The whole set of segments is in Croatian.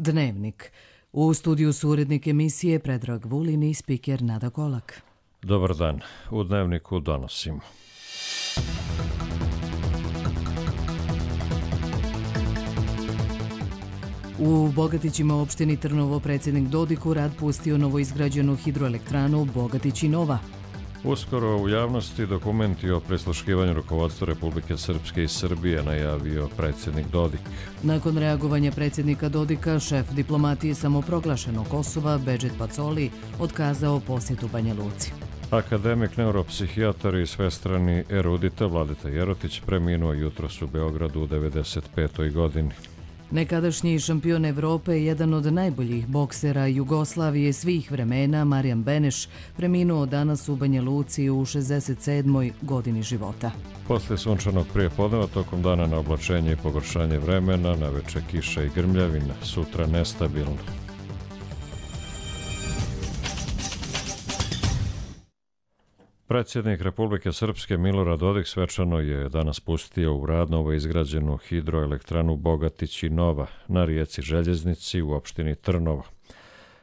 Dnevnik. U studiju su urednik emisije Predrag Vulin i spiker Nada Kolak. Dobar dan. U Dnevniku donosimo. U Bogatićima opštini Trnovo predsjednik Dodik u rad pustio novoizgrađenu hidroelektranu Bogatić i Nova. Uskoro u javnosti dokumenti o prisluškivanju rukovodstva Republike Srpske i Srbije najavio predsjednik Dodik. Nakon reagovanja predsjednika Dodika, šef diplomatije samoproglašenog Kosova, Bedžet Pacoli, otkazao posjetu Banja Luci. Akademik, neuropsihijatar i svestrani erudita Vladeta Jerotić preminuo jutros u Beogradu u 95. godini. Nekadašnji šampion Evrope, jedan od najboljih boksera Jugoslavije svih vremena, Marijan Beneš, preminuo danas u Banja Luci u 67. godini života. Posle sunčanog prijepodneva tokom dana na oblačenje i pogoršanje vremena, naveče kiša i grmljavina, sutra nestabilno. Predsjednik Republike Srpske Milorad Dodik svečano je danas pustio u rad novoizgrađenu hidroelektranu Bogatić i Nova na rijeci Željeznici u opštini Trnovo.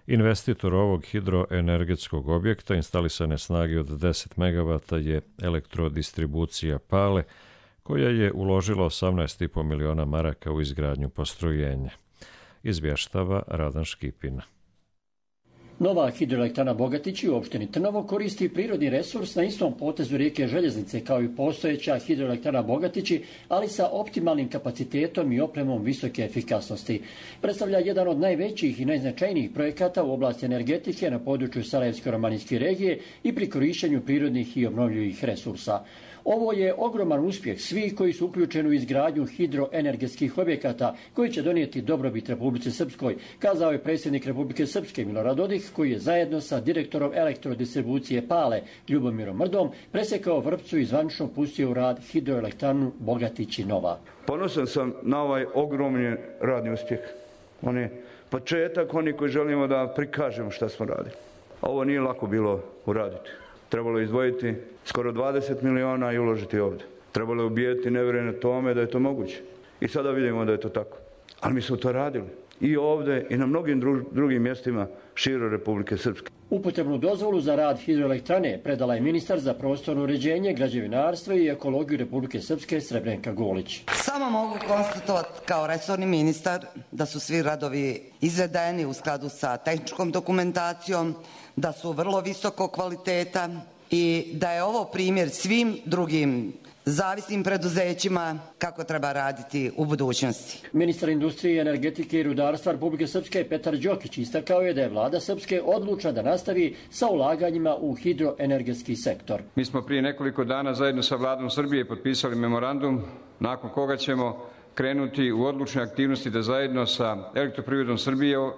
Investitor ovog hidroenergetskog objekta instalisane snage od 10 MW je Elektrodistribucija Pale, koja je uložila 18,5 miliona maraka u izgradnju postrojenja. Izvještava Radan Škipina. Nova hidroelektrana Bogatići u opštini Trnovo koristi prirodni resurs na istom potezu rijeke Željeznice kao i postojeća hidroelektrana Bogatići, ali sa optimalnim kapacitetom i opremom visoke efikasnosti. Predstavlja jedan od najvećih i najznačajnijih projekata u oblasti energetike na području Sarajevsko-romanijske regije i pri korištenju prirodnih i obnovljivih resursa. Ovo je ogroman uspjeh svih koji su uključeni u izgradnju hidroenergetskih objekata koji će donijeti dobrobit Republici Srpskoj, kazao je predsjednik Republike Srpske Milorad Dodik, koji je zajedno sa direktorom Elektrodistribucije Pale Ljubomirom Mrdom presjekao vrpcu i zvanično pustio u rad hidroelektranu Bogatić i Nova. Ponosan sam na ovaj ogromni radni uspjeh. On je početak, oni koji želimo da prikažemo šta smo radili. Ovo nije lako bilo uraditi. Trebalo je izdvojiti skoro 20 miliona i uložiti ovdje. Trebalo je ubijeti nevjerojatno tome da je to moguće. I sada vidimo da je to tako. Ali mi smo to radili. I ovdje i na mnogim drugim mjestima širom Republike Srpske. Upotrebnu dozvolu za rad hidroelektrane predala je ministar za prostorno uređenje, građevinarstvo i ekologiju Republike Srpske Srebrenka Golić. Samo mogu konstatovati kao resorni ministar da su svi radovi izvedeni u skladu sa tehničkom dokumentacijom, da su vrlo visokog kvaliteta i da je ovo primjer svim drugim zavisnim preduzećima kako treba raditi u budućnosti. Ministar industrije, energetike i rudarstva Republike Srpske Petar Đokić istakao je da je vlada Srpske odlučna da nastavi sa ulaganjima u hidroenergetski sektor. Mi smo prije nekoliko dana zajedno sa vladom Srbije potpisali memorandum nakon koga ćemo krenuti u odlučne aktivnosti da zajedno sa Elektroprivredom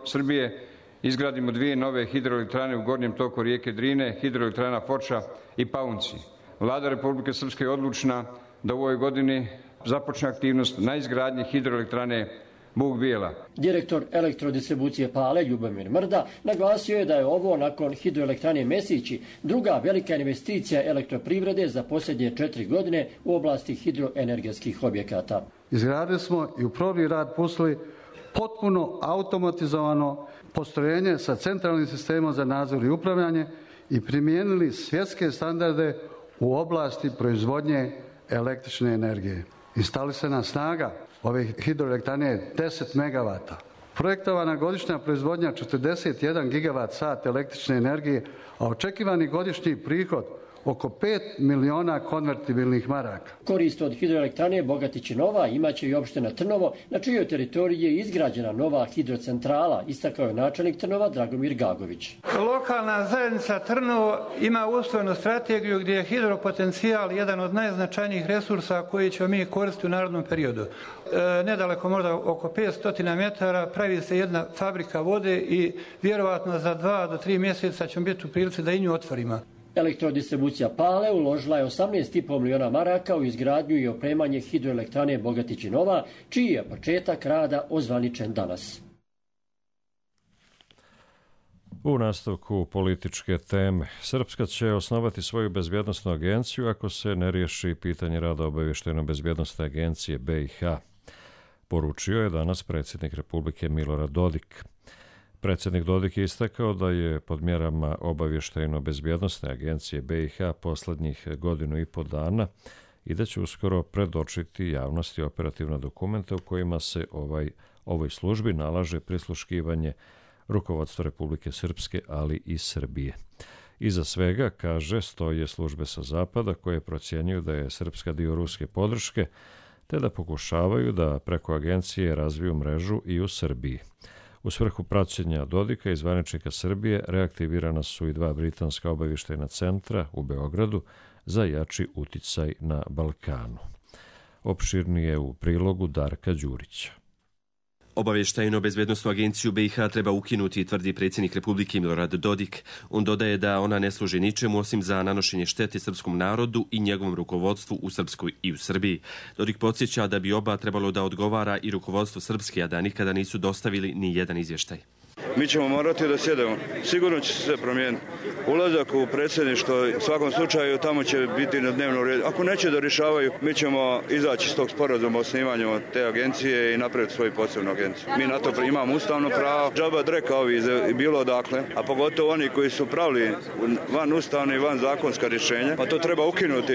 Srbije izgradimo 2 nove hidroelektrane u gornjem toku rijeke Drine, hidroelektrana Foča i Paunci. Vlada Republike Srpske je odlučna da u ovoj godini započne aktivnost na izgradnji hidroelektrane Buk Bijela. Direktor Elektrodistribucije Pale Ljubomir Mrda naglasio je da je ovo nakon hidroelektrane Mesići druga velika investicija elektroprivrede za posljednje 4 godine u oblasti hidroenergetskih objekata. Izgradili smo i u prvi rad pustili potpuno automatizovano postrojenje sa centralnim sistemom za nadzor i upravljanje i primijenili svjetske standarde u oblasti proizvodnje električne energije. Instalisana snaga ove hidroelektrane je 10 MW. Projektovana godišnja proizvodnja 41 GWh električne energije, a očekivani godišnji prihod oko 5 miliona konvertibilnih maraka. Korist od hidroelektrane Bogatić i Nova imaće i opština Trnovo, na čijoj teritoriji je izgrađena nova hidrocentrala, istakao je načelnik Trnova Dragomir Gagović. Lokalna zajednica Trnovo ima usvojenu strategiju gdje je hidropotencijal jedan od najznačajnijih resursa koji ćemo mi koristiti u narodnom periodu. Nedaleko, možda oko 500 metara, pravi se jedna fabrika vode i vjerovatno za 2 do 3 mjeseca ćemo biti u prilici da i nju otvorimo. Elektrodistribucija Pale uložila je 18,5 miliona maraka u izgradnju i opremanje hidroelektrane Bogatić i Nova, čiji je početak rada ozvaničen danas. U nastavku političke teme, Srpska će osnovati svoju bezbjednosnu agenciju ako se ne riješi pitanje rada obavještajno-bezbjednosne agencije BiH. poručio je danas predsjednik Republike Milorad Dodik. Predsjednik Dodik je istakao da je pod mjerama obavještajno-bezbjednosne agencije BiH posljednjih 1,5 dana i da će uskoro predočiti javnosti operativna dokumenta u kojima se ovoj službi nalaže prisluškivanje rukovodstva Republike Srpske, ali i Srbije. Iza svega, kaže, stoje službe sa zapada koje procjenjuju da je Srpska dio ruske podrške, te da pokušavaju da preko agencije razviju mrežu i u Srbiji. U svrhu praćenja Dodika i zvaničnika Srbije reaktivirana su i 2 britanska obavještajna centra u Beogradu za jači uticaj na Balkanu. Opširnije u prilogu Darka Đurića. Obavještajno-bezbjednosnu agenciju BiH treba ukinuti, tvrdi predsjednik Republike Milorad Dodik. On dodaje da ona ne služi ničemu osim za nanošenje štete srpskom narodu i njegovom rukovodstvu u Srpskoj i u Srbiji. Dodik podsjeća da bi oba trebalo da odgovara i rukovodstvo Srpske, a da nikada nisu dostavili ni jedan izvještaj. Mi ćemo morati da sjedemo. Sigurno će se promijeniti. Ulazak u predsjedništvo, u svakom slučaju, tamo će biti na dnevnom redu. Ako neće da rješavaju, mi ćemo izaći iz tog sporazuma o osnivanju te agencije i napraviti svoju posebnu agenciju. Mi na to imamo ustavno pravo. Džaba dreka ovi bilo odakle, a pogotovo oni koji su pravili van ustavne i van zakonska rješenja, pa to treba ukinuti.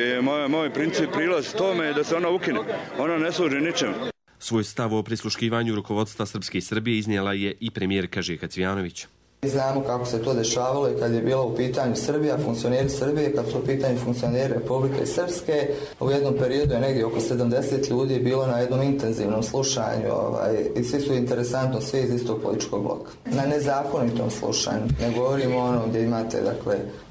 Moj princip prilaz tome je da se ona ukine. Ona ne služi ničemu. Svoj stav o prisluškivanju rukovodstva Srpske i Srbije iznijela je i premijerka Željka Cvijanović. Znamo kako se to dešavalo i kad je bilo u pitanju Srbija, funkcioneri Srbije, kad su u pitanju funkcioneri Republike Srpske. U jednom periodu je negdje oko 70 ljudi bilo na jednom intenzivnom slušanju i svi su interesantno, svi iz istog političkog bloka. Na nezakonitom slušanju, ne govorimo ono gdje imate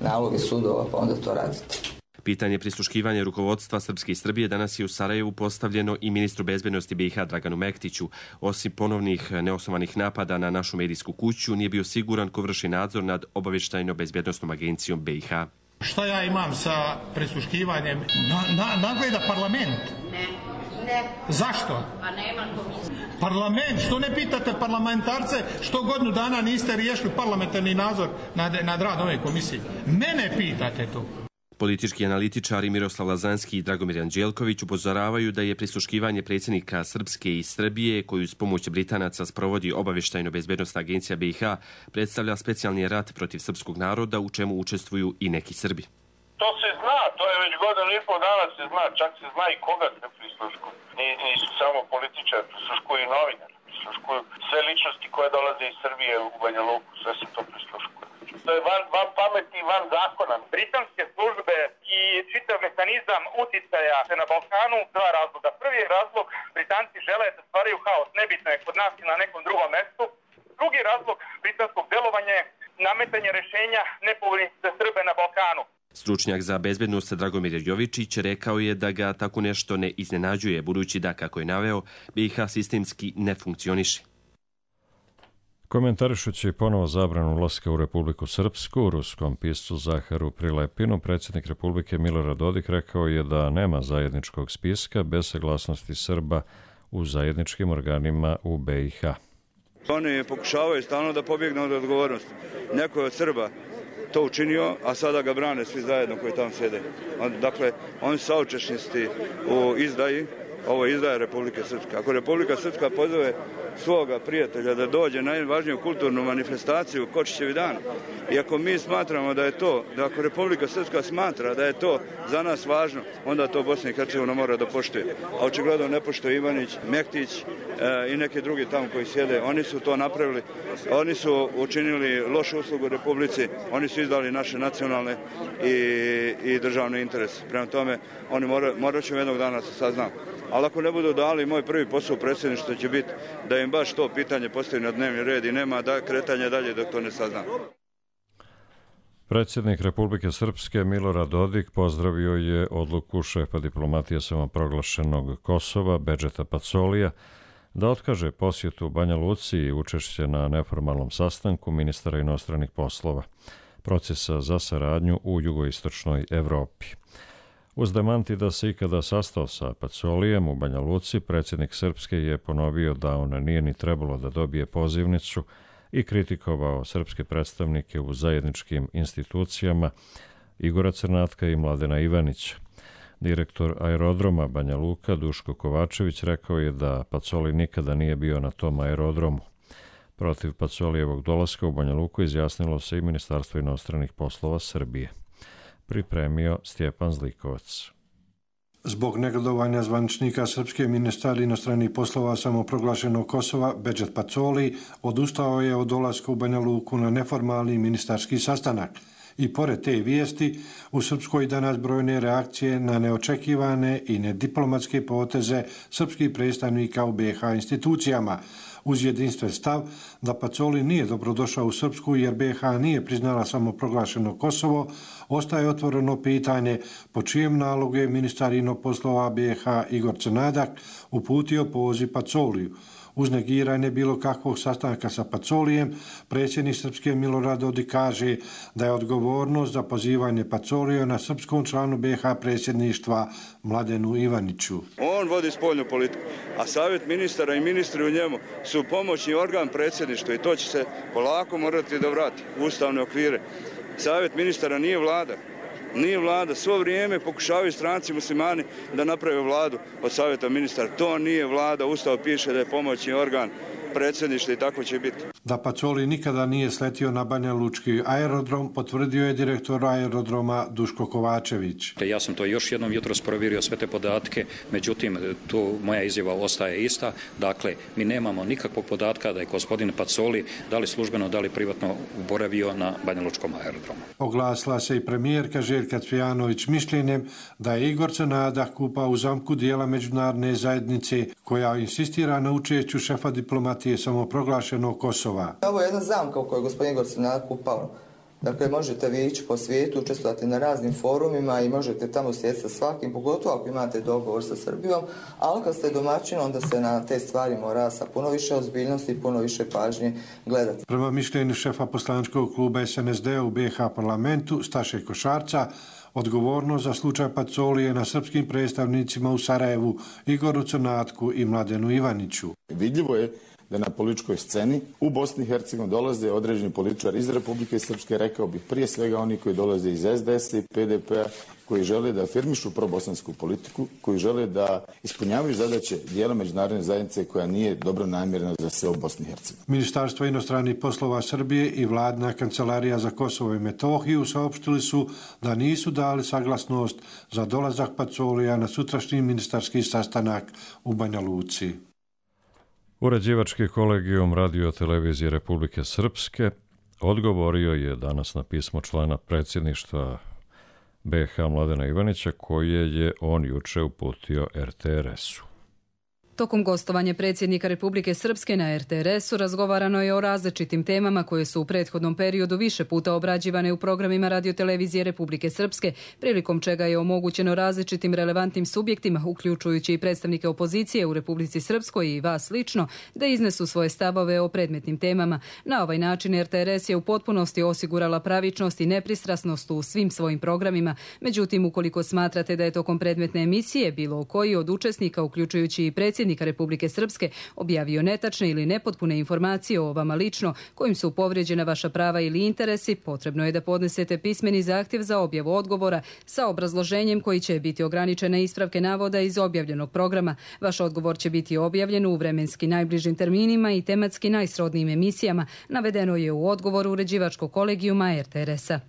naloge sudova pa onda to radite. Pitanje prisluškivanja rukovodstva Srpske i Srbije danas je u Sarajevu postavljeno i ministru bezbednosti BiH Draganu Mektiću. Osim ponovnih neosnovanih napada na našu medijsku kuću, nije bio siguran ko vrši nadzor nad obavještajno-bezbednosnom agencijom BiH. Šta ja imam sa prisluškivanjem? Nagleda parlament. Ne. Zašto? Pa nema komisije. Parlament, što ne pitate parlamentarce što godinu dana niste riješili parlamentarni nadzor nad rad ove komisije? Mene pitate to. Politički analitičari Miroslav Lazanski i Dragomir Anđelković upozoravaju da je prisluškivanje predsjednika Srpske i Srbije, koju s pomoć Britanaca sprovodi obavještajno-bezbednosna agencija BiH, predstavlja specijalni rat protiv srpskog naroda u čemu učestvuju i neki Srbi. To se zna, to je već 1,5 dana se zna, čak se zna i koga se prisluškuju. Nisu samo političari, prisluškuju i novinari, prisluškuju sve ličnosti koje dolaze iz Srbije u Banja Luku, sve se to prisluškuju. To je van pameti i van zakona. Britanske službe i čitav mehanizam uticaja na Balkanu, 2 razloga. Prvi je razlog, Britanci žele da stvaraju haos, nebitno je kod nas i na nekom drugom mestu. Drugi razlog britanskog delovanja je nametanje rješenja nepovoljnih za Srbe na Balkanu. Stručnjak za bezbednost Dragomir Jovičić rekao je da ga tako nešto ne iznenađuje, budući da, kako je naveo, BiH sistemski ne funkcioniše. Komentarišući ponovo zabranu ulaska u Republiku Srpsku, ruskom piscu Zaharu Prilepinu, predsjednik Republike Milorad Dodik rekao je da nema zajedničkog spiska bez saglasnosti Srba u zajedničkim organima u BiH. Oni pokušavaju stalno da pobjegnu od odgovornosti. Neko je od Srba to učinio, a sada ga brane svi zajedno koji tamo sjede. Dakle, oni su saučesnici u izdaji. Ovo je izdaja Republike Srpske. Ako Republika Srpska pozove svoga prijatelja da dođe na najvažniju kulturnu manifestaciju Kočićevi dan, i ako mi smatramo da je to, da ako Republika Srpska smatra da je to za nas važno, onda to Bosna i Hercegovina mora da poštuje. A očigledno ne poštuje Ivanić, Mektić i neki drugi tamo koji sjede. Oni su to napravili. Oni su učinili lošu uslugu Republici. Oni su izdali naše nacionalne i državne interese. Prema tome, oni morat će jednog dana se saznati. Ali ako ne budu dali, moj prvi posao u predsjedništvu će biti da im baš to pitanje postavi na dnevni red i nema kretanja dalje dok to ne sazna. Predsjednik Republike Srpske Milorad Dodik pozdravio je odluku šefa diplomatije samoproglašenog Kosova Bedžeta Pacolija da otkaže posjetu Banja Luci i učešće na neformalnom sastanku ministara inostranih poslova, procesa za saradnju u jugoistočnoj Evropi. Uz demanti da se ikada sastao sa Pacolijem u Banja Luci, predsjednik Srpske je ponovio da on nije ni trebalo da dobije pozivnicu i kritikovao srpske predstavnike u zajedničkim institucijama Igora Crnatka i Mladena Ivanića. Direktor aerodroma Banja Luka Duško Kovačević rekao je da Pacoli nikada nije bio na tom aerodromu. Protiv Pacolijevog dolaska u Banja Luku izjasnilo se i Ministarstvo inostranih poslova Srbije. Pripremio Stjepan Zlikovac. Zbog negodovanja zvaničnika srpske, ministar inostranih poslova samoproglašenog Kosova Bedžet Pacoli odustao je od dolaska u Banja Luku na neformalni ministarski sastanak. I pored te vijesti, u Srpskoj danas brojne reakcije na neočekivane i nediplomatske poteze srpskih predstavnika u BiH institucijama, uz jedinstven stav da Pacoli nije dobrodošao u Srpsku jer BiH nije priznala samoproglašeno Kosovo, ostaje otvoreno pitanje po čijem nalogu je ministar inostranih poslova BiH Igor Crnadak uputio poziv Pacoliju. Uz negiranje bilo kakvog sastanka sa Pacolijem, predsjednik Srpske Milorad Dodik kaže da je odgovornost za pozivanje Pacolija na srpskom članu BiH predsjedništva Mladenu Ivaniću. On vodi spoljnu politiku, a savjet ministara i ministri u njemu su pomoćni organ predsjedništva i to će se polako morati da vrati u ustavne okvire. Savjet ministara nije vlada. Nije vlada. Svo vrijeme pokušavaju stranci muslimani da naprave vladu od savjeta ministara. To nije vlada. Ustav piše da je pomoćni organ predsjedništva i tako će biti. Da Pacoli nikada nije sletio na Banja Lučki aerodrom, potvrdio je direktor aerodroma Duško Kovačević. Ja sam to još jednom jutros provjerio sve te podatke, međutim tu moja izjava ostaje ista. Dakle, mi nemamo nikakvog podatka da je gospodin Pacoli da li službeno, da li privatno boravio na Banja Lučkom aerodromu. Oglasila se i premijerka Željka Cvijanović mišljenjem da je Igor Crnadak upao u zamku dijela međunarodne zajednice koja insistira na učešću šefa diplomatije samoproglašenog Kosova. Ovo je jedna zamka u kojoj gospodin Igor Crnadak upao. Dakle, možete vi ići po svijetu, učestvovati na raznim forumima i možete tamo sjeti sa svakim, pogotovo ako imate dogovor sa Srbijom, ali kad ste domaćin, onda se na te stvari mora sa puno više ozbiljnosti i puno više pažnje gledati. Prema mišljenju šefa poslaničkog kluba SNSD u BiH parlamentu, Staše Košarca, odgovornost za slučaj Pacolije na srpskim predstavnicima u Sarajevu, Igoru Crnatku i Mladenu Ivaniću. Vidljivo je da na političkoj sceni u Bosni i Hercegovini dolaze određeni političari iz Republike Srpske, rekao bih prije svega oni koji dolaze iz SDS-a i PDP-a, koji žele da afirmišu probosansku politiku, koji žele da ispunjavaju zadaće dijela međunarodne zajednice koja nije dobro namjerna za sve u Bosni i Hercegovini. Ministarstvo inostranih poslova Srbije i Vladina kancelarija za Kosovo i Metohiju saopštili su da nisu dali saglasnost za dolazak Pacolija na sutrašnji ministarski sastanak u Banja Luci. Uređivački kolegijum Radio-televizije Republike Srpske odgovorio je danas na pismo člana predsjedništva BiH Mladena Ivanića koje je on juče uputio RTRS-u. Tokom gostovanja predsjednika Republike Srpske na RTRS-u razgovarano je o različitim temama koje su u prethodnom periodu više puta obrađivane u programima Radio-televizije Republike Srpske, prilikom čega je omogućeno različitim relevantnim subjektima, uključujući i predstavnike opozicije u Republici Srpskoj i vas lično, da iznesu svoje stavove o predmetnim temama. Na ovaj način RTRS je u potpunosti osigurala pravičnost i nepristrasnost u svim svojim programima. Međutim, ukoliko smatrate da je tokom predmetne emisije bilo koji od učesnika, uključujući i predsjednika Republike Srpske, objavio netačne ili nepotpune informacije o vama lično kojim su povrijeđena vaša prava ili interesi, potrebno je da podnesete pismeni zahtjev za objavu odgovora sa obrazloženjem koji će biti ograničene ispravke navoda iz objavljenog programa. Vaš odgovor će biti objavljen u vremenski najbližim terminima i tematski najsrodnijim emisijama, navedeno je u odgovoru uređivačkog kolegijuma RTRS-a.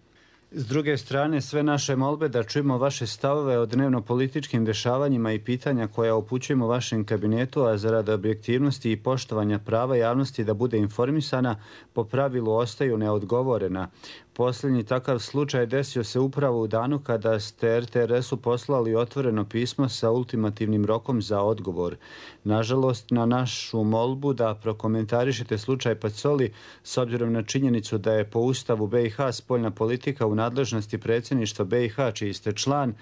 S druge strane, sve naše molbe da čujemo vaše stavove o dnevno-političkim dešavanjima i pitanja koja upućujemo vašem kabinetu, a zarad objektivnosti i poštovanja prava javnosti da bude informisana, po pravilu ostaju neodgovorena. Posljednji takav slučaj desio se upravo u danu kada ste RTRS-u poslali otvoreno pismo sa ultimativnim rokom za odgovor. Nažalost, na našu molbu da prokomentarišete slučaj Pacoli, s obzirom na činjenicu da je po Ustavu BiH spoljna politika u nadležnosti predsjedništva BiH, čiji ste član,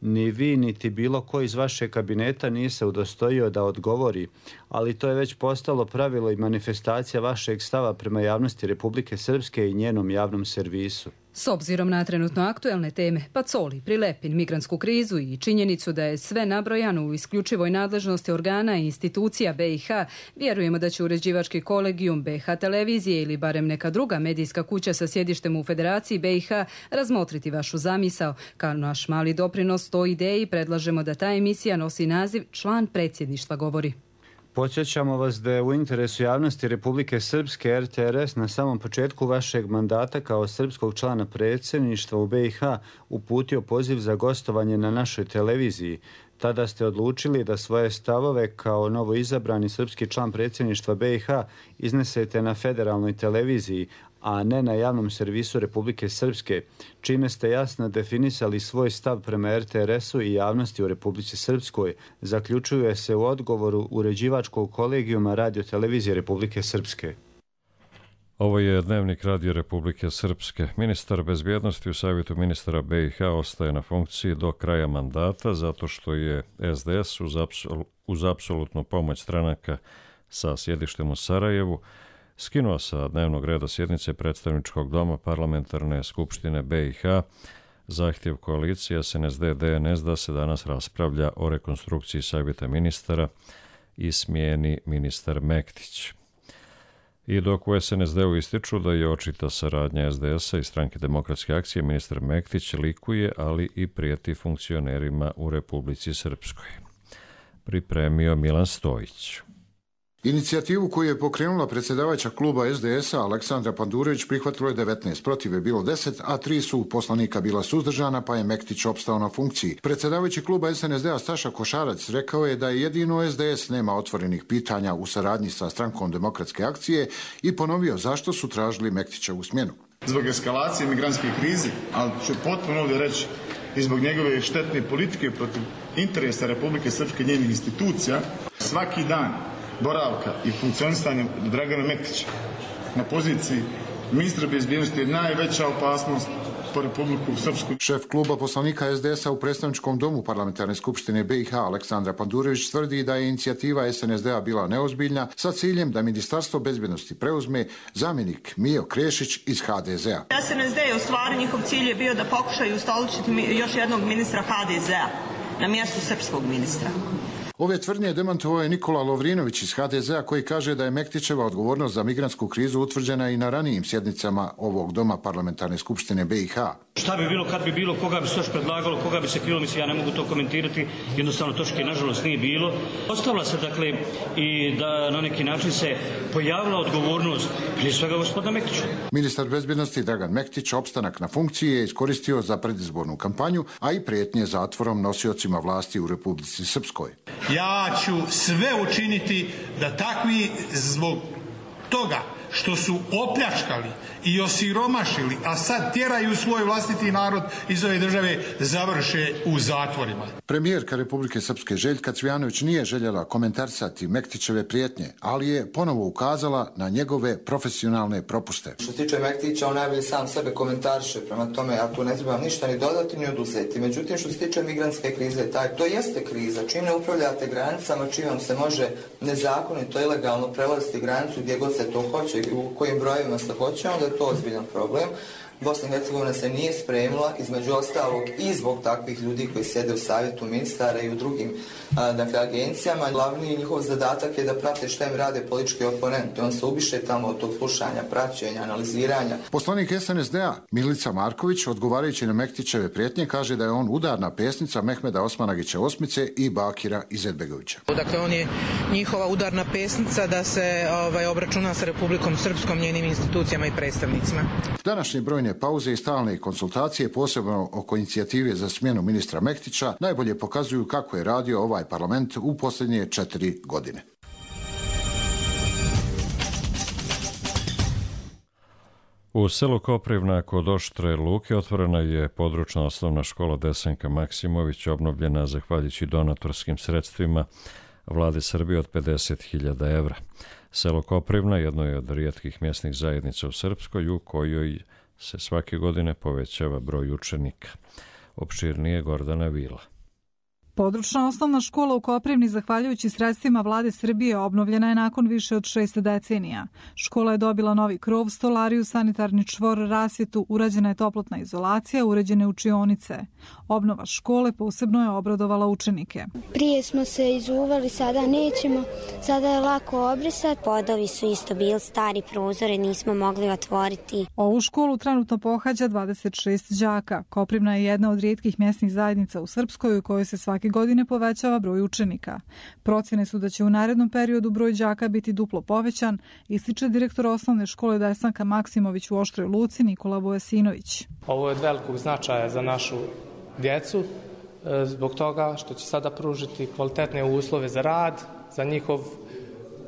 ni vi niti bilo ko iz vašeg kabineta nije se udostojio da odgovori, ali to je već postalo pravilo i manifestacija vašeg stava prema javnosti Republike Srpske i njenom javnom servisu. servisu. S obzirom na trenutno aktuelne teme, Pacoli, Prilepin, migrantsku krizu i činjenicu da je sve nabrojano u isključivoj nadležnosti organa i institucija BiH, vjerujemo da će uređivački kolegijum BiH televizije ili barem neka druga medijska kuća sa sjedištem u Federaciji BiH razmotriti vašu zamisao. Kao naš mali doprinos toj ideji predlažemo da ta emisija nosi naziv Član predsjedništva govori. Podsjećamo vas da je u interesu javnosti Republike Srpske RTRS na samom početku vašeg mandata kao srpskog člana predsjedništva u BiH uputio poziv za gostovanje na našoj televiziji. Tada ste odlučili da svoje stavove kao novoizabrani srpski član predsjedništva BiH iznesete na federalnoj televiziji, a ne na javnom servisu Republike Srpske, čime ste jasno definisali svoj stav prema RTRS-u i javnosti u Republici Srpskoj, zaključuje se u odgovoru uređivačkog kolegijuma Radio-televizije Republike Srpske. Ovo je dnevnik Radio Republike Srpske. Ministar bezbjednosti u Savjetu ministara BiH ostaje na funkciji do kraja mandata zato što je SDS uz apsolutnu pomoć stranaka sa sjedištem u Sarajevu skinuo sa dnevnog reda sjednice predstavničkog doma Parlamentarne skupštine BiH zahtjev koalicije SNSD-DNS da se danas raspravlja o rekonstrukciji Savjeta ministara i smijeni ministar Mektić. I dok u SNSD-u ističu da je očita saradnja SDS-a i Stranke demokratske akcije, ministar Mektić likuje, ali i prijeti funkcionerima u Republici Srpskoj. Pripremio Milan Stojić. Inicijativu koju je pokrenula predsjedavajuća kluba SDS-a Aleksandra Pandurević prihvatilo je 19, protiv je bilo 10, a 3 su poslanika bila suzdržana, pa je Mektić opstao na funkciji. Predsjedavajući kluba SNSD-a Staša Košarac rekao je da je jedino SDS nema otvorenih pitanja u saradnji sa Strankom demokratske akcije i ponovio zašto su tražili Mektićevu smjenu. Zbog eskalacije migrantske krize, ali ću potpuno ovdje reći i zbog njegove štetne politike protiv interesa Republike Srpske i njenih institucija, svaki dan boravka i funkcionisanja Dragana Mektića na poziciji ministra bezbjednosti je najveća opasnost po Republiku Srpsku. Šef kluba poslanika SDS-a u predstavničkom domu Parlamentarne skupštine BiH Aleksandra Pandurević tvrdi da je inicijativa SNSD-a bila neozbiljna sa ciljem da Ministarstvo bezbjednosti preuzme zamjenik Mijo Krešić iz HDZ-a. SNSD je u stvari njihov cilj je bio da pokušaju ustoličiti još jednog ministra HDZ-a na mjestu srpskog ministra. Ove tvrdnje demantovao je Nikola Lovrinović iz HDZ-a koji kaže da je Mektićeva odgovornost za migrantsku krizu utvrđena i na ranijim sjednicama ovog doma Parlamentarne skupštine BiH. Šta bi bilo, kad bi bilo, koga bi se još predlagalo, koga bi se krilo, mislim, ja ne mogu to komentirati, jednostavno točke nažalost nije bilo. Ostavila se, dakle, i da na neki način se pojavila odgovornost prije svega gospodina Mektića. Ministar bezbjednosti Dragan Mektić opstanak na funkciji je iskoristio za predizbornu kampanju, a i prijetnje zatvorom nosiocima vlasti u Republici Srpskoj. Ja ću sve učiniti da takvi zbog toga što su opljačkali i osiromašili, a sad tjeraju svoj vlastiti narod iz ove države, završe u zatvorima. Premijerka Republike Srpske Željka Cvijanović nije željela komentarisati Mektićeve prijetnje, ali je ponovo ukazala na njegove profesionalne propuste. Što se tiče Mektića, on najbolje sam sebe komentariše, prema tome ja tu ne trebam ništa ni dodati ni oduzeti. Međutim, što se tiče migrantske krize, to jeste kriza. Čim ne upravljate granicama, čim vam se može nezakonito, ilegalno prelaziti granicu gdje god se to hoće, u kojim brojevima se hoće, onda je to ozbiljan problem. Bosna i Hercegovina se nije spremila, između ostalog i zbog takvih ljudi koji sjede u savjetu ministara i u drugim agencijama. Glavni njihov zadatak je da prate šta im rade politički oponenti. On se ubiše tamo od tog slušanja, praćenja, analiziranja. Poslanik SNSD-a Milica Marković, odgovarajući na Mektićeve prijetnje, kaže da je on udarna pesnica Mehmeda Osmanagića Osmice i Bakira Izetbegovića. Dakle, on je njihova udarna pesnica da se obračuna sa Republikom Srpskom, njenim institucijama i predstavnicima. Današnje brojne pauze i stalne konsultacije, posebno oko inicijative za smjenu ministra Mektića, najbolje pokazuju kako je radio ovaj parlament u posljednje 4 godine. U selu Koprivna kod Oštre Luke otvorena je područna osnovna škola Desanka Maksimović, obnovljena zahvaljujući donatorskim sredstvima Vlade Srbije od 50.000 evra. Selo Koprivna jedno je od rijetkih mjesnih zajednica u Srpskoj u kojoj se svake godine povećava broj učenika. Opširnije Gordana Vila. Područna osnovna škola u Koprivni, zahvaljujući sredstvima vlade Srbije, obnovljena je nakon više od 6 decenija. Škola je dobila novi krov, stolariju, sanitarni čvor, rasvjetu, urađena je toplotna izolacija, uređene učionice. Obnova škole posebno je obradovala učenike. Prije smo se izuvali, sada nećemo, sada je lako obrisati. Podovi su isto bili stari, prozore nismo mogli otvoriti. Ovu školu trenutno pohađa 26 đaka. Koprivna je jedna od rijetkih mjesnih zajednica u Srpskoj u kojoj se svake godine povećava broj učenika. Procjene su da će u narednom periodu broj đaka biti duplo povećan, ističe direktor osnovne škole Desanka Maksimović u Oštroj Luci Nikola Vojasinović. Ovo je od velikog značaja za našu djecu, zbog toga što će sada pružiti kvalitetne uslove za rad, za njihov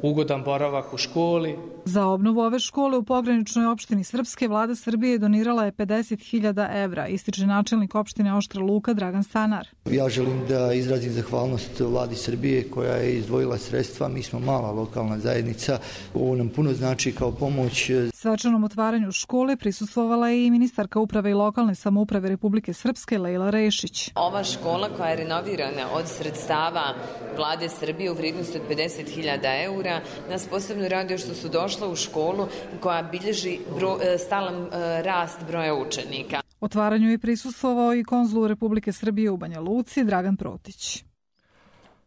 ugodan boravak u školi. Za obnovu ove škole u pograničnoj opštini Srpske vlada Srbije donirala je 50.000 evra, ističe načelnik opštine Oštra Luka Dragan Stanar. Ja želim da izrazim zahvalnost vladi Srbije koja je izdvojila sredstva. Mi smo mala lokalna zajednica, ovo nam puno znači kao pomoć. Svečanom otvaranju škole prisustvovala je i ministarka uprave i lokalne samouprave Republike Srpske Lejla Rešić. Ova škola koja je renovirana od sredstava vlade Srbije u vrijednosti od 50.000 eura nas posebno raduje što su došla u školu koja bilježi stalan rast broja učenika. Otvaranju je prisustvovao i konzul Republike Srbije u Banja Luci Dragan Protić.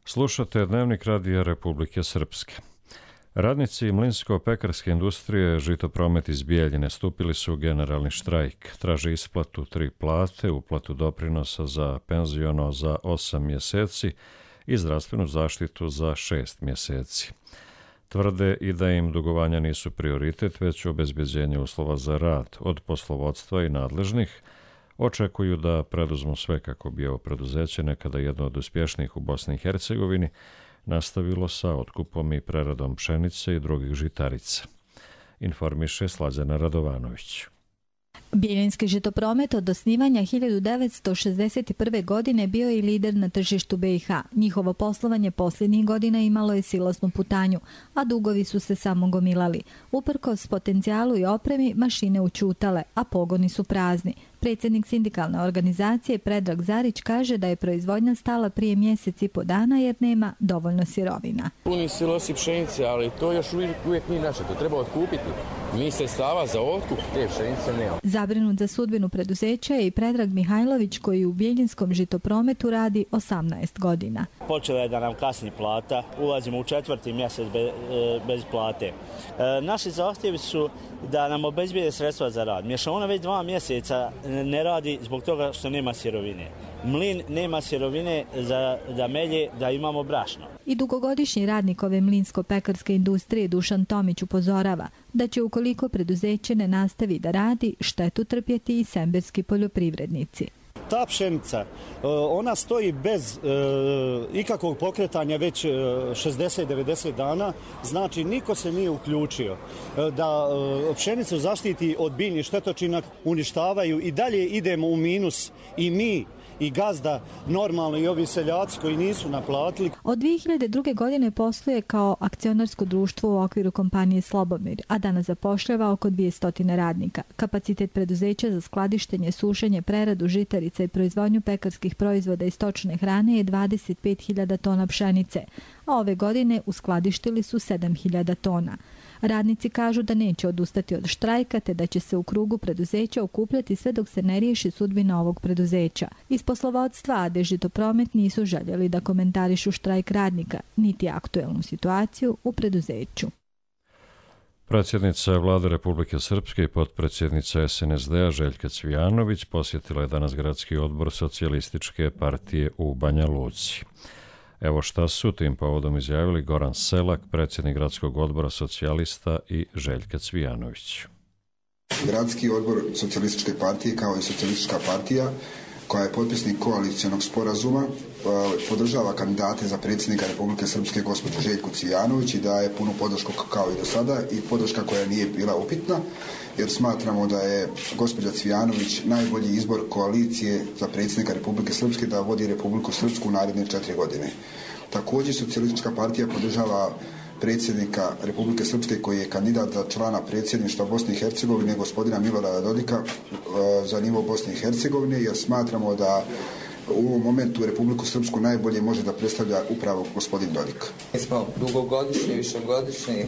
Slušate Dnevnik radija Republike Srpske. Radnici mlinsko-pekarske industrije Žitopromet iz Bijeljine stupili su u generalni štrajk. Traže isplatu 3 plate, uplatu doprinosa za penziono za 8 mjeseci i zdravstvenu zaštitu za 6 mjeseci. Tvrde i da im dugovanja nisu prioritet, već obezbeđenje uslova za rad od poslovodstva i nadležnih. Očekuju da preduzmu sve kako bi ovo preduzeće, nekada jedno od uspješnijih u Bosni i Hercegovini, nastavilo sa otkupom i preradom pšenice i drugih žitarica. Informiše Slađana Radovanović. Bijeljinski Žitopromet od osnivanja 1961. godine bio je lider na tržištu BiH. Njihovo poslovanje posljednjih godina imalo je silosnu putanju, a dugovi su se samo gomilali. Uprkos potencijalu i opremi, mašine učutale, a pogoni su prazni. Predsjednik sindikalne organizacije Predrag Zarić kaže da je proizvodnja stala prije mjesec i po dana jer nema dovoljno sirovina. Puni silosi pšenice, ali to još uvijek nije naše, to treba otkupiti. Mi sredstava za otkup te pšenice nema. Zabrinut za sudbinu preduzeća je i Predrag Mihajlović koji u Biljinskom Žitoprometu radi 18 godina. Počela je da nam kasni plata, ulazimo u 4. mjesec bez plate. Naši zahtjevi su da nam obezbijede sredstva za rad. Mješovina već 2 mjeseca ne radi zbog toga što nema sirovine. Mlin nema sirovine da melje, da imamo brašno. I dugogodišnji radnik ove mlinsko-pekarske industrije Dušan Tomić upozorava da će ukoliko preduzeće ne nastavi da radi, štetu trpjeti i semberski poljoprivrednici. Ta pšenica, ona stoji bez ikakvog pokretanja već 60-90 dana, znači niko se nije uključio da pšenicu zaštiti od biljnih štetočina, uništavaju i dalje idemo u minus i mi i gazda, normalno i ovi seljaci koji nisu naplatili. Od 2002. godine posluje kao akcionarsko društvo u okviru kompanije Slobomir, a danas zapošljava oko 200 radnika. Kapacitet preduzeća za skladištenje, sušenje, preradu žitarica i proizvodnju pekarskih proizvoda i stočne hrane je 25.000 tona pšenice, a ove godine uskladištili su 7.000 tona. Radnici kažu da neće odustati od štrajka te da će se u krugu preduzeća okupljati sve dok se ne riješi sudbina ovog preduzeća. Iz poslovodstva AD Žitopromet nisu željeli da komentarišu štrajk radnika, niti aktuelnu situaciju u preduzeću. Predsjednica Vlade Republike Srpske i potpredsjednica SNSD-a Željka Cvijanović posjetila je danas gradski odbor Socijalističke partije u Banja Luci. Evo šta su tim povodom izjavili Goran Selak, predsjednik gradskog odbora socijalista i Željka Cvijanović. Gradski odbor Socijalističke partije kao i Socijalistička partija koja je potpisnik koalicijonog sporazuma podržava kandidate za predsjednika Republike Srpske gospođu Željku Cvijanović i daje punu podršku kao i do sada i podrška koja nije bila upitna jer smatramo da je gospođa Cvijanović najbolji izbor koalicije za predsjednika Republike Srpske da vodi Republiku Srpsku u naredne 4 godine. Također Socijalistička partija podržava predsjednika Republike Srpske koji je kandidat za člana predsjedništva Bosne i Hercegovine gospodina Milorada Dodika za nivo Bosne i Hercegovine jer smatramo da U ovom momentu Republiku Srpsku najbolje može da predstavlja upravo gospodin Dodik. Mi smo dugogodišnji, višegodišnji,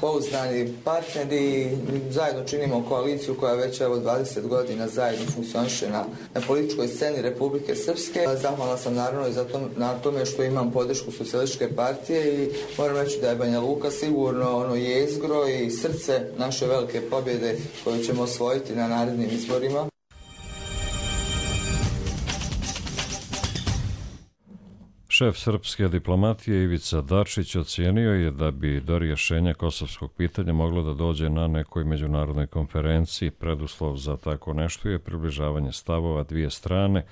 pouzdani partneri i zajedno činimo koaliciju koja već 20 godina zajedno funkcioniše na političkoj sceni Republike Srpske. Zahvalna sam naravno i na tome što imam podršku Socijalističke partije i moram reći da je Banja Luka sigurno ono jezgro i srce naše velike pobjede koju ćemo osvojiti na narednim izborima. Šef srpske diplomatije Ivica Dačić ocijenio je da bi do rješenja kosovskog pitanja moglo da dođe na nekoj međunarodnoj konferenciji. Preduslov za tako nešto je približavanje stavova dvije strane,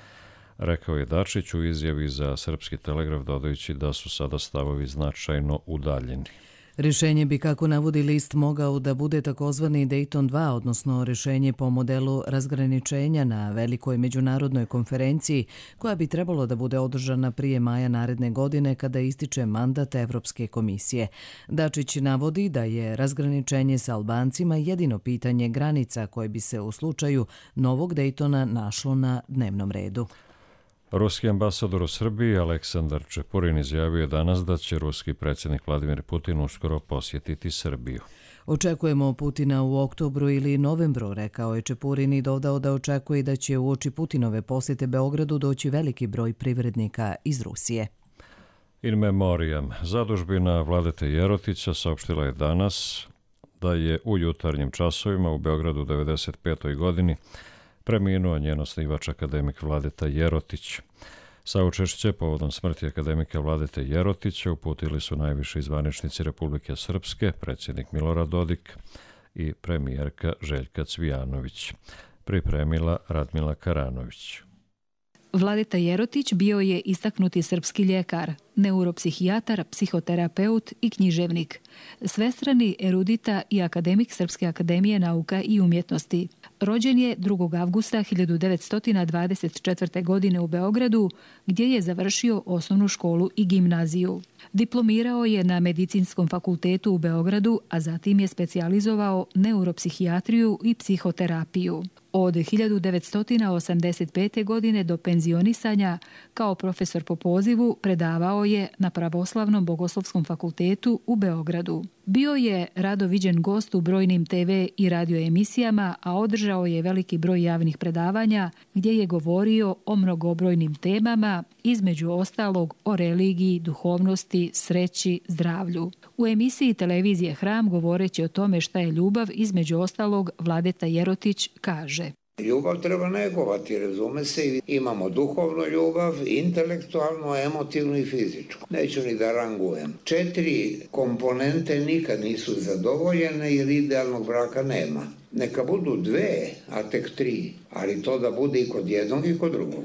rekao je Dačić u izjavi za Srpski telegraf, dodajući da su sada stavovi značajno udaljeni. Rješenje bi, kako navodi list, mogao da bude takozvani Dayton 2, odnosno rješenje po modelu razgraničenja na velikoj međunarodnoj konferenciji koja bi trebalo da bude održana prije maja naredne godine kada ističe mandat Evropske komisije. Dačić navodi da je razgraničenje sa Albancima jedino pitanje granica koje bi se u slučaju novog Daytona našlo na dnevnom redu. Ruski ambasador u Srbiji Aleksandar Čepurin izjavio je danas da će ruski predsjednik Vladimir Putin uskoro posjetiti Srbiju. Očekujemo Putina u oktobru ili novembru, rekao je Čepurin i dodao da očekuje da će uoči Putinove posjete Beogradu doći veliki broj privrednika iz Rusije. In memoriam, zadužbina Vladete Jerotića saopštila je danas da je u jutarnjim časovima u Beogradu u 1995. godini preminuo njen osnivač akademik Vladeta Jerotić. Saučešće povodom smrti akademika Vladete Jerotića uputili su najviši zvaničnici Republike Srpske, predsjednik Milorad Dodik i premijerka Željka Cvijanović. Pripremila Radmila Karanović. Vladeta Jerotić bio je istaknuti srpski ljekar, neuropsihijatar, psihoterapeut i književnik, svestrani erudita i akademik Srpske akademije nauka i umjetnosti. Rođen je 2. avgusta 1924. godine u Beogradu, gdje je završio osnovnu školu i gimnaziju. Diplomirao je na Medicinskom fakultetu u Beogradu, a zatim je specijalizovao neuropsihijatriju i psihoterapiju. Od 1985. godine do penzionisanja kao profesor po pozivu predavao je na Pravoslavnom bogoslovskom fakultetu u Beogradu. Bio je rado viđen gost u brojnim TV i radio emisijama, a održao je veliki broj javnih predavanja gdje je govorio o mnogobrojnim temama, između ostalog o religiji, duhovnosti, sreći, zdravlju. U emisiji televizije Hram, govoreći o tome šta je ljubav, između ostalog Vladeta Jerotić kaže: Ljubav treba negovati, razume se, imamo duhovnu ljubav, intelektualnu, emotivnu i fizičku. Neću ni da rangujem. 4 komponente nikad nisu zadovoljene jer idealnog braka nema. Neka budu 2, a tek 3, ali to da bude i kod jednog i kod drugog.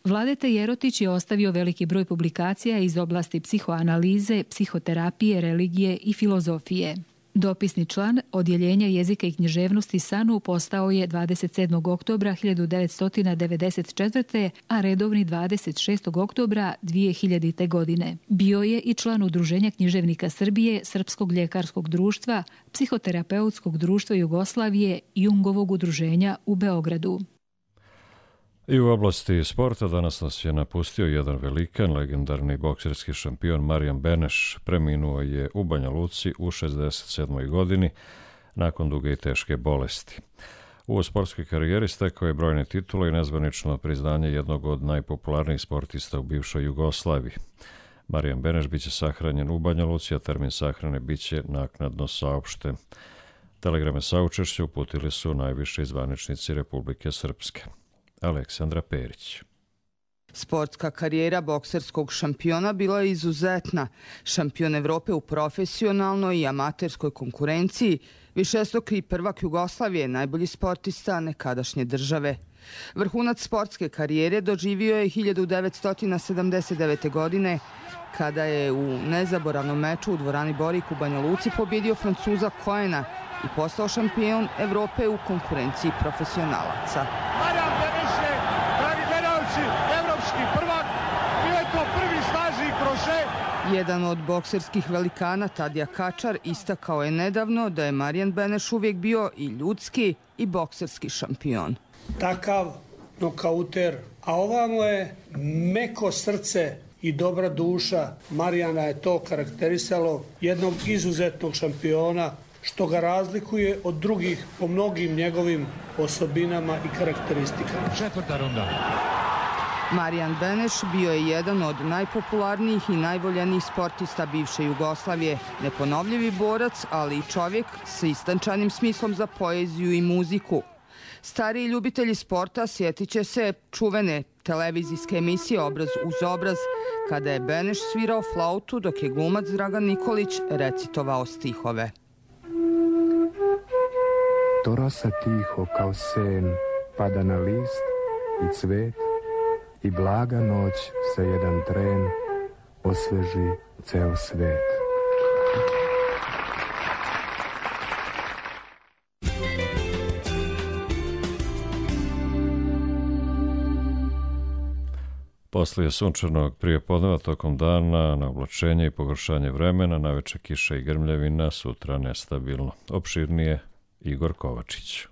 Vladeta Jerotić je ostavio veliki broj publikacija iz oblasti psihoanalize, psihoterapije, religije i filozofije. Dopisni član Odjeljenja jezika i književnosti SANU postao je 27. oktobra 1994. a redovni 26. oktobra 2000. godine. Bio je i član Udruženja književnika Srbije, Srpskog ljekarskog društva, Psihoterapeutskog društva Jugoslavije i Jungovog udruženja u Beogradu. I u oblasti sporta danas nas je napustio jedan velikan, legendarni bokserski šampion Marijan Beneš. Preminuo je u Banja Luci u 67. godini nakon duge i teške bolesti. U sportskoj karijeri stekao je brojne titule i nezvanično priznanje jednog od najpopularnijih sportista u bivšoj Jugoslaviji. Marijan Beneš biće sahranjen u Banja Luci, a termin sahrane biće naknadno saopšten. Telegrame saučešća uputili su najviši zvaničnici Republike Srpske. Aleksandra Perić. Sportska karijera bokserskog šampiona bila je izuzetna. Šampion Evrope u profesionalnoj i amaterskoj konkurenciji, višestruki prvak Jugoslavije, najbolji sportista nekadašnje države. Vrhunac sportske karijere doživio je 1979. godine, kada je u nezaboravnom meču u dvorani Borik u Banja Luci pobjedio Francuza Coena i postao šampion Evrope u konkurenciji profesionalaca. Jedan od bokserskih velikana, Tadija Kačar, istakao je nedavno da je Marijan Beneš uvijek bio i ljudski i bokserski šampion. Takav nokauter, a ovamo je meko srce i dobra duša. Marijana je to karakterisalo, jednog izuzetnog šampiona, što ga razlikuje od drugih po mnogim njegovim osobinama i karakteristikama. Četvrta runda. Marijan Beneš bio je jedan od najpopularnijih i najvoljenijih sportista bivše Jugoslavije, neponovljivi borac, ali i čovjek sa istančanim smislom za poeziju i muziku. Stariji ljubitelji sporta sjetit će se čuvene televizijske emisije Obraz uz obraz, kada je Beneš svirao flautu dok je glumac Dragan Nikolić recitovao stihove. To rosa tiho kao sen pada na list i cvet i blaga noć sa jedan tren osveži ceo svet. Poslije sunčanog prijepodneva tokom dana na oblačenje i pogoršanje vremena, naveče kiša i grmljavina, sutra nestabilno. Opširnije Igor Kovačić.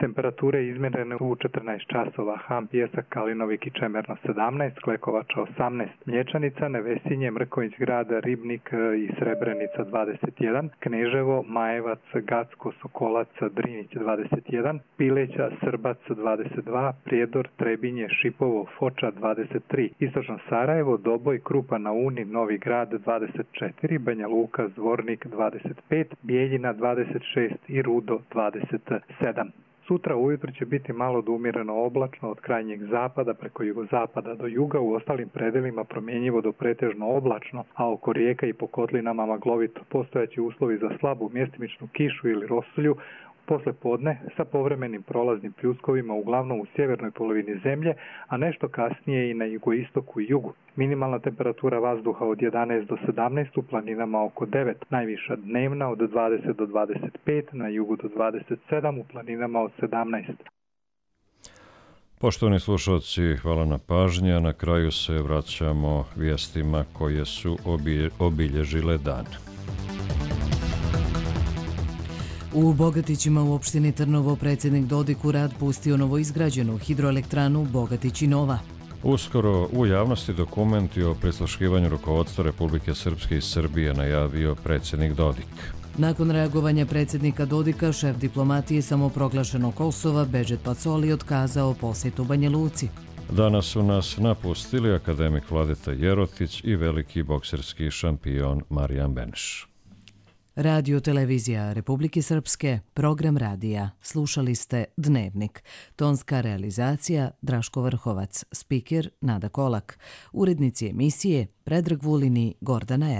Temperature izmjerene u 14 časova, Ham, Pjesak, Kalinovik i Čemerno 17, Klekovača 18, Mlječanica, Nevesinje, Mrković grad, Ribnik i Srebrenica 21, Kneževo, Majevac, Gacko, Sokolac, Drinić 21, Pileća, Srbac 22, Prijedor, Trebinje, Šipovo, Foča 23, Istočno Sarajevo, Doboj, Krupa na Uni, Novi grad 24, Banja Luka, Zvornik 25, Bijeljina 26 i Rudo 27. Sutra ujutro će biti malo do umjereno oblačno od krajnjeg zapada preko jugozapada do juga, u ostalim predelima promjenjivo do pretežno oblačno, a oko rijeka i po kotlinama maglovito. Postojaće uslovi za slabu mjestimičnu kišu ili rosulju posle podne sa povremenim prolaznim pljuskovima uglavnom u sjevernoj polovini zemlje, a nešto kasnije i na jugoistoku i jugu. Minimalna temperatura vazduha od 11 do 17, u planinama oko 9, najviša dnevna od 20 do 25, na jugu do 27, u planinama od 17. Poštovani slušalci, hvala na pažnji, a na kraju se vraćamo vijestima koje su obilježile dan. U Bogatićima u opštini Trnovo predsjednik Dodik u rad pustio novoizgrađenu hidroelektranu Bogatić i Nova. Uskoro u javnosti dokumenti o prisluškivanju rukovodstva Republike Srpske i Srbije najavio predsjednik Dodik. Nakon reagovanja predsjednika Dodika, šef diplomatije samoproglašenog Kosova Bežet Pacoli otkazao posjetu Banja Luci. Danas su nas napustili akademik Vladeta Jerotić i veliki bokserski šampion Marijan Beneš. Radio televizija Republike Srpske, program radija. Slušali ste Dnevnik. Tonska realizacija Draško Vrhovac, spiker Nada Kolak. Urednici emisije Predrag Vulini, Gordana